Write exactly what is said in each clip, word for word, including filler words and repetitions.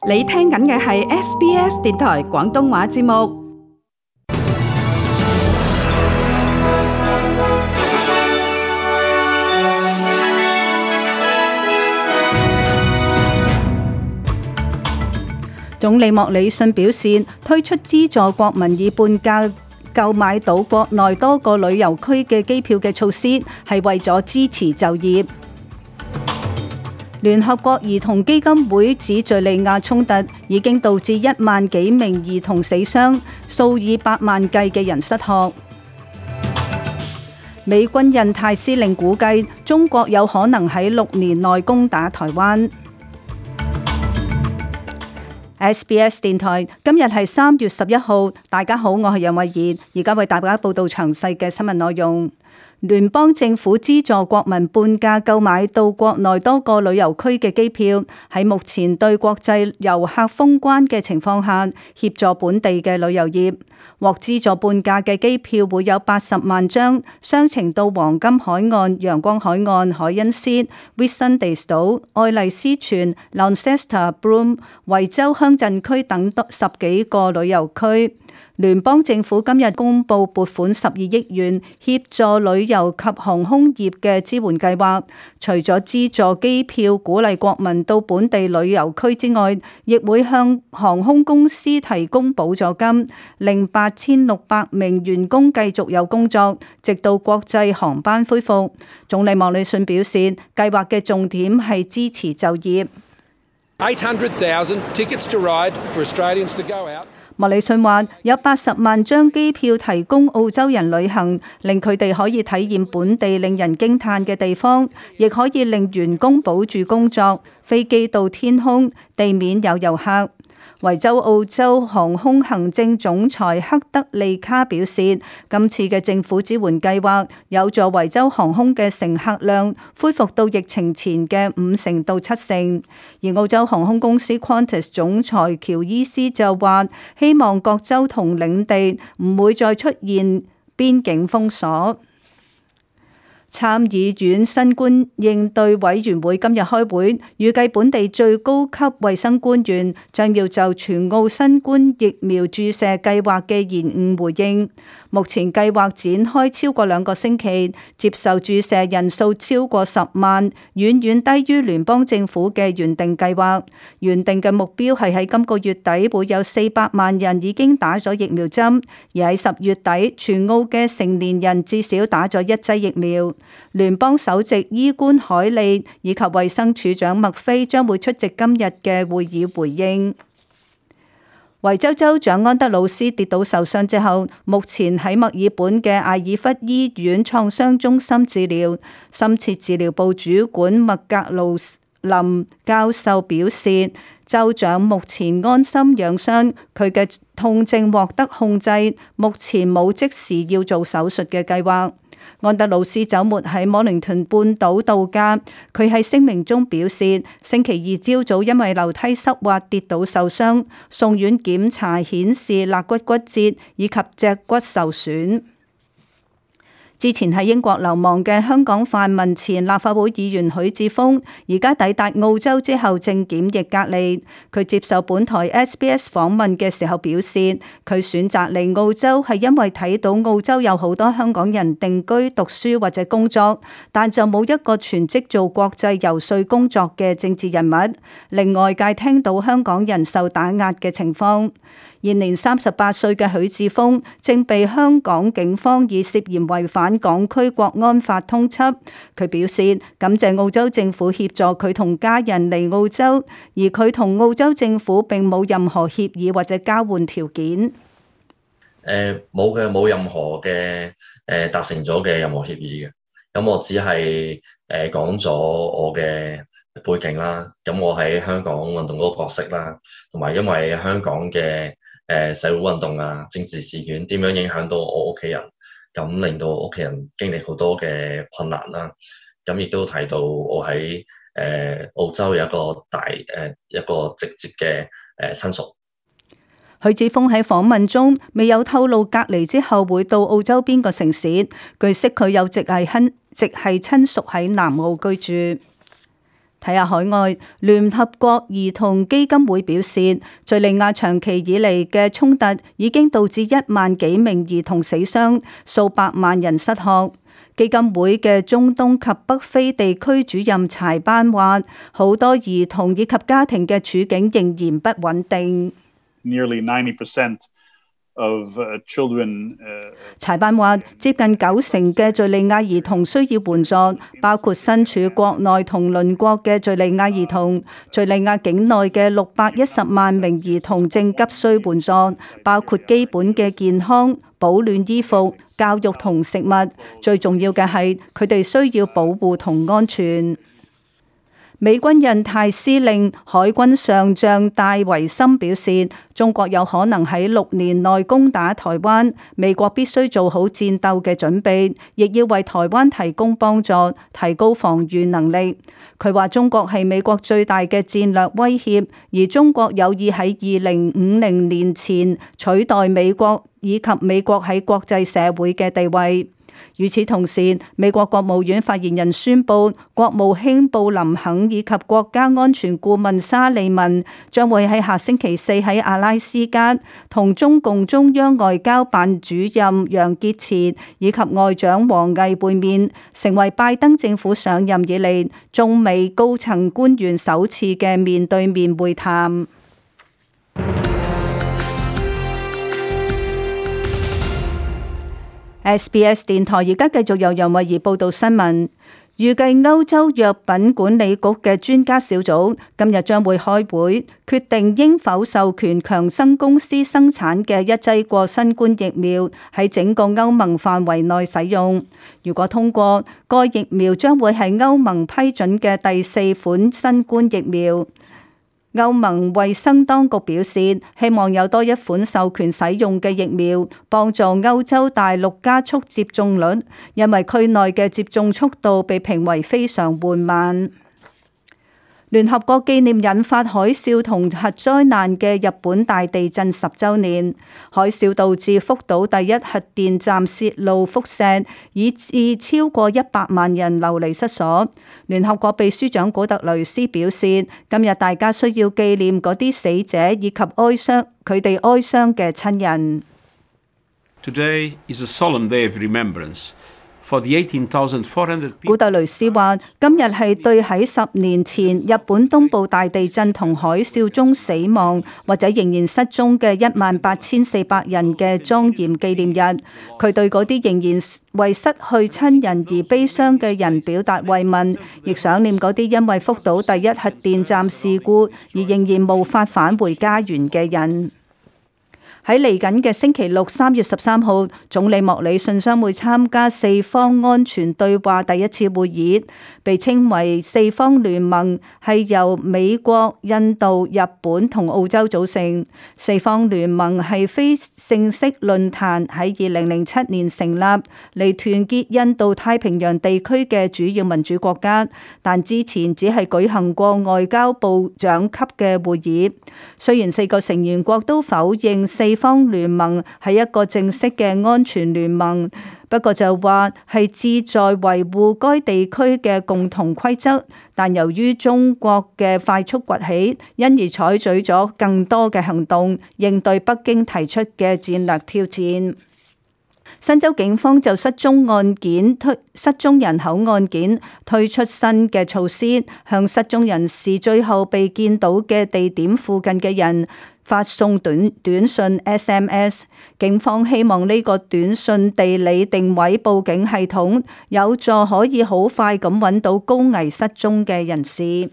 你聽緊嘅係 S B S 電台廣東話節目。總理莫里遜表示，推出資助國民以半價購買到國內多個旅遊區嘅機票嘅措施，係為咗支持就業。聯合國兒童基金會指敘利亞衝突已經導致一萬幾名兒童死傷，數以百萬計嘅人失學。美軍印太司令估計，中國有可能喺六年內攻打台灣。S B S 電台今日係三月十一號，大家好，我係楊慧儀，而家為大家報道詳細嘅新聞內容。聯邦政府資助國民半價購買到國內多個旅遊區嘅機票，喺目前對國際遊客封關嘅情況下，協助本地嘅旅遊業。獲資助半價嘅機票會有八十萬張，雙程到黃金海岸、陽光海岸、海恩斯、Whitsundays 島、愛麗絲泉、Launceston、Broome、維州鄉鎮區等十幾個旅遊區。聯邦政府今日公布撥款十二億元協助旅遊及航空業嘅支援計劃，除咗資助機票鼓勵國民到本地旅遊區之外，亦會向航空公司提供補助金，令八千六百名員工繼續有工作，直到國際航班恢復。總理莫里遜表示，計劃嘅重點係支持就業。eight hundred thousand tickets to ride for Australians to go out。莫里遜話：有八十萬張機票提供澳洲人旅行，令佢哋可以體驗本地令人驚嘆嘅地方，亦可以令員工保住工作。飛機到天空，地面有遊客。維州澳洲航空行政總裁克德利卡表示，今次嘅政府支援計劃有助維州航空嘅乘客量恢復到疫情前嘅五成到七成。而澳洲航空公司 Qantas 總裁喬伊斯就話，希望各州同領地唔會再出現邊境封鎖。參議院新冠應對委員會今日開會，預計本地最高級衛生官員將要就全澳新冠疫苗注射計劃嘅延誤回應。目前計劃展開超過兩個星期，接受注射人數超過十萬，遠遠低於聯邦政府嘅原定計劃。原定嘅目標係喺今個月底會有四百萬人已經打咗疫苗針，而喺十月底全澳嘅成年人至少打咗一劑疫苗。聯邦首席醫官海利以及衛生署長麥菲將會出席今日嘅會議回應。維州州長安德魯斯跌倒受傷之後，目前喺墨爾本嘅艾爾弗醫院創傷中心治療。深切治療部主管麥格魯林教授表示，州長目前安心養傷，佢嘅痛症獲得控制，目前冇即時要做手術嘅計劃。安德魯斯週末喺摩靈頓半島度假，佢喺聲明中表示，星期二朝早因為樓梯濕滑跌倒受傷，送院檢查顯示肋骨骨折以及脊骨受損。之前喺英國流亡嘅香港泛民前立法會議員許智峰，而家抵達澳洲之後正檢疫隔離。佢接受本台 S B S 訪問嘅時候表示，佢選擇嚟澳洲係因為睇到澳洲有好多香港人定居、讀書或者工作，但就冇一個全職做國際遊說工作嘅政治人物，令外界聽到香港人受打壓嘅情況。現年三十八歲嘅許智峰正被香港警方以涉嫌違反港區國安法通緝。佢表示感謝澳洲政府協助佢同家人嚟澳洲，而佢同澳洲政府並冇任何協議或者交換條件。誒冇嘅，冇任何嘅誒達成咗嘅任何協議嘅。咁我只係誒講咗我嘅背景啦。咁我喺香港運動嗰個角色啦，同埋因為香港嘅誒社會運動啊、政治事件點樣影響到我屋企人，咁令到屋企人經歷好多嘅困難啦。咁亦都提到我喺誒澳洲有一個大誒一個直接嘅誒親屬。許智峰喺訪問中未有透露隔離之後會到澳洲邊個城市。據悉佢有直系親直系親屬喺南澳居住。睇下海外，聯合國兒童基金會表示，敘利亞長期以嚟嘅衝突已經導致一萬幾名兒童死傷，數百萬人失學。基金會嘅中東及北非地區主任柴班話，好多兒童以及家庭嘅處境仍然不穩定。Nearly ninety percent of children. 柴班話，接近九成嘅敘利亞兒童需要援助，包括身處國內同鄰國嘅敘利亞兒童。敘利亞境內嘅六百一十萬名兒童正急需援助，包括基本嘅健康、保暖衣服、教育同食物。最重要嘅係，佢哋需要保護同安全。美軍印太司令海軍上將戴維森表示，中國有可能喺六年內攻打台灣，美國必須做好戰鬥嘅準備，亦要為台灣提供幫助，提高防禦能力。佢話中國係美國最大嘅戰略威脅，而中國有意喺二零五零年前取代美國以及美國喺國際社會嘅地位。與此同時，美國國務院發言人宣布，國務卿布林肯以及國家安全顧問沙利文將會喺下星期四喺阿拉斯加同中共中央外交辦主任楊潔篪以及外長王毅會面，成為拜登政府上任以嚟中美高層官員首次嘅面對面會談。S B S 電台而家繼續由楊慧儀報道新聞。預計歐洲藥品管理局嘅專家小組今日將會開會，決定應否授權強生公司生產嘅一劑過新冠疫苗喺整個歐盟範圍內使用。如果通過，該疫苗將會係歐盟批准嘅第四款新冠疫苗。歐盟衛生當局表示，希望有多一款授權使用嘅疫苗，幫助歐洲大陸加速接種率，因為區內嘅接種速度被評為非常緩慢。聯合國紀念引發海嘯同核災難嘅日本大地震十週年，海嘯導致福島第一核電站泄露輻射，以致超過一百萬人流離失所。聯合國秘書長古特雷斯表示，今日大家需要紀念嗰啲死者以及哀傷佢哋哀傷嘅親人。Today is a solemn day of remembrance. 古特雷斯話：今日係對喺十年前日本東部大地震同海嘯中死亡或者仍然失蹤嘅一萬八千四百人嘅莊嚴紀念日。佢對嗰啲仍然為失去親人而悲傷嘅人表達慰問，亦想念嗰啲因為福島第一核電站事故而仍然無法返回家園嘅人。喺嚟緊嘅星期六三月十三號，總理莫里遜將會參加四方安全對話第一次會議，被稱為四方聯盟，係由美國、印度、日本同澳洲組成。四方聯盟係非正式論壇，喺二零零七年成立，嚟團結印度太平洋地區嘅主要民主國家，但之前只係舉行過外交部長級嘅會議。雖然四個成員國都否認四方聯盟係一個正式嘅安全聯盟，不過就話係旨在維護該地區嘅共同規則，但由於中國嘅快速崛起，因而採取咗更多嘅行動，應對北京提出嘅戰略挑戰。新州警方就失蹤案件推失蹤人口案件推出新嘅措施，向失蹤人士最後被見到嘅地點附近嘅人發送短短信 S M S。 警方希望呢個短信地理定位報警系統有助可以好快咁揾到高危失蹤嘅人士。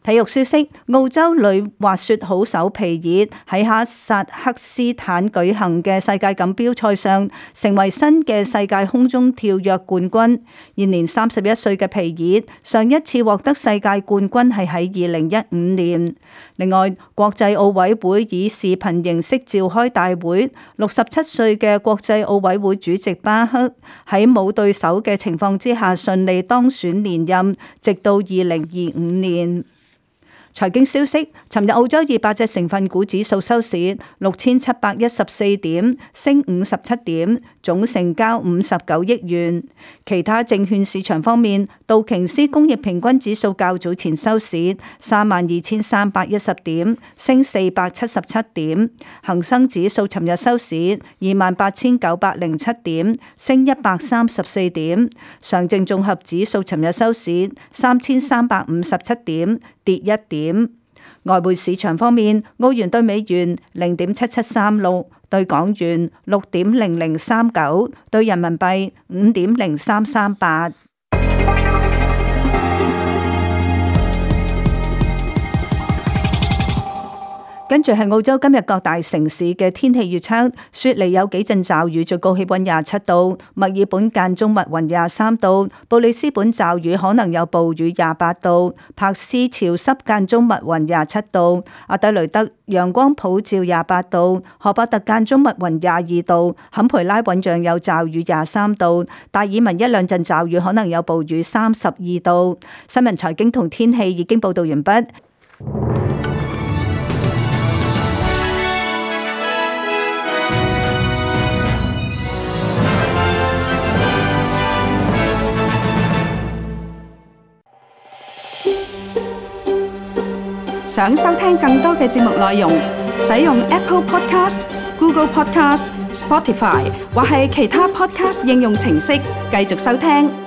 體育消息：澳洲女滑雪好手皮爾喺哈薩克斯坦舉行嘅世界錦標賽上，成為新嘅世界空中跳躍冠軍。現年三十一歲嘅皮爾，上一次獲得世界冠軍係喺二零一五年。另外，國際奧委會以視頻形式召開大會，六十七歲嘅國際奧委會主席巴克喺冇對手嘅情況之下順利當選連任，直到二零二五年。財經消息，尋日澳洲二百隻成分股指數收市六千七百一十四點，升五十七點，總成交五十九億元。其他證券市場方面，道瓊斯工業平均指數較早前收市三萬二千三百一十點，升四百七十七點。恒生指數尋日收市二萬八千九百零七點，升一百三十四點。上證綜合指數尋日收市三千三百五十七點，跌一點。外匯市場方面，澳元對美元零點七七三六，對港元六點零零三九，對人民幣五點零三三八。跟住係澳洲今日各大城市嘅天氣預測，雪梨有幾陣驟雨，最高氣溫廿七度；墨爾本間中密雲廿三度；布里斯本驟雨可能有暴雨廿八度；柏斯潮濕間中密雲廿七度；阿德雷德陽光普照廿八度；荷伯特間中密雲廿二度；坎培拉醞釀有驟雨廿三度；達爾文一兩陣驟雨可能有暴雨三十二度。新聞財經同天氣已經報道完畢。想收聽更多嘅節目內容，使用 Apple Podcast、Google Podcast、Spotify 或係其他 Podcast 應用程式繼續收聽。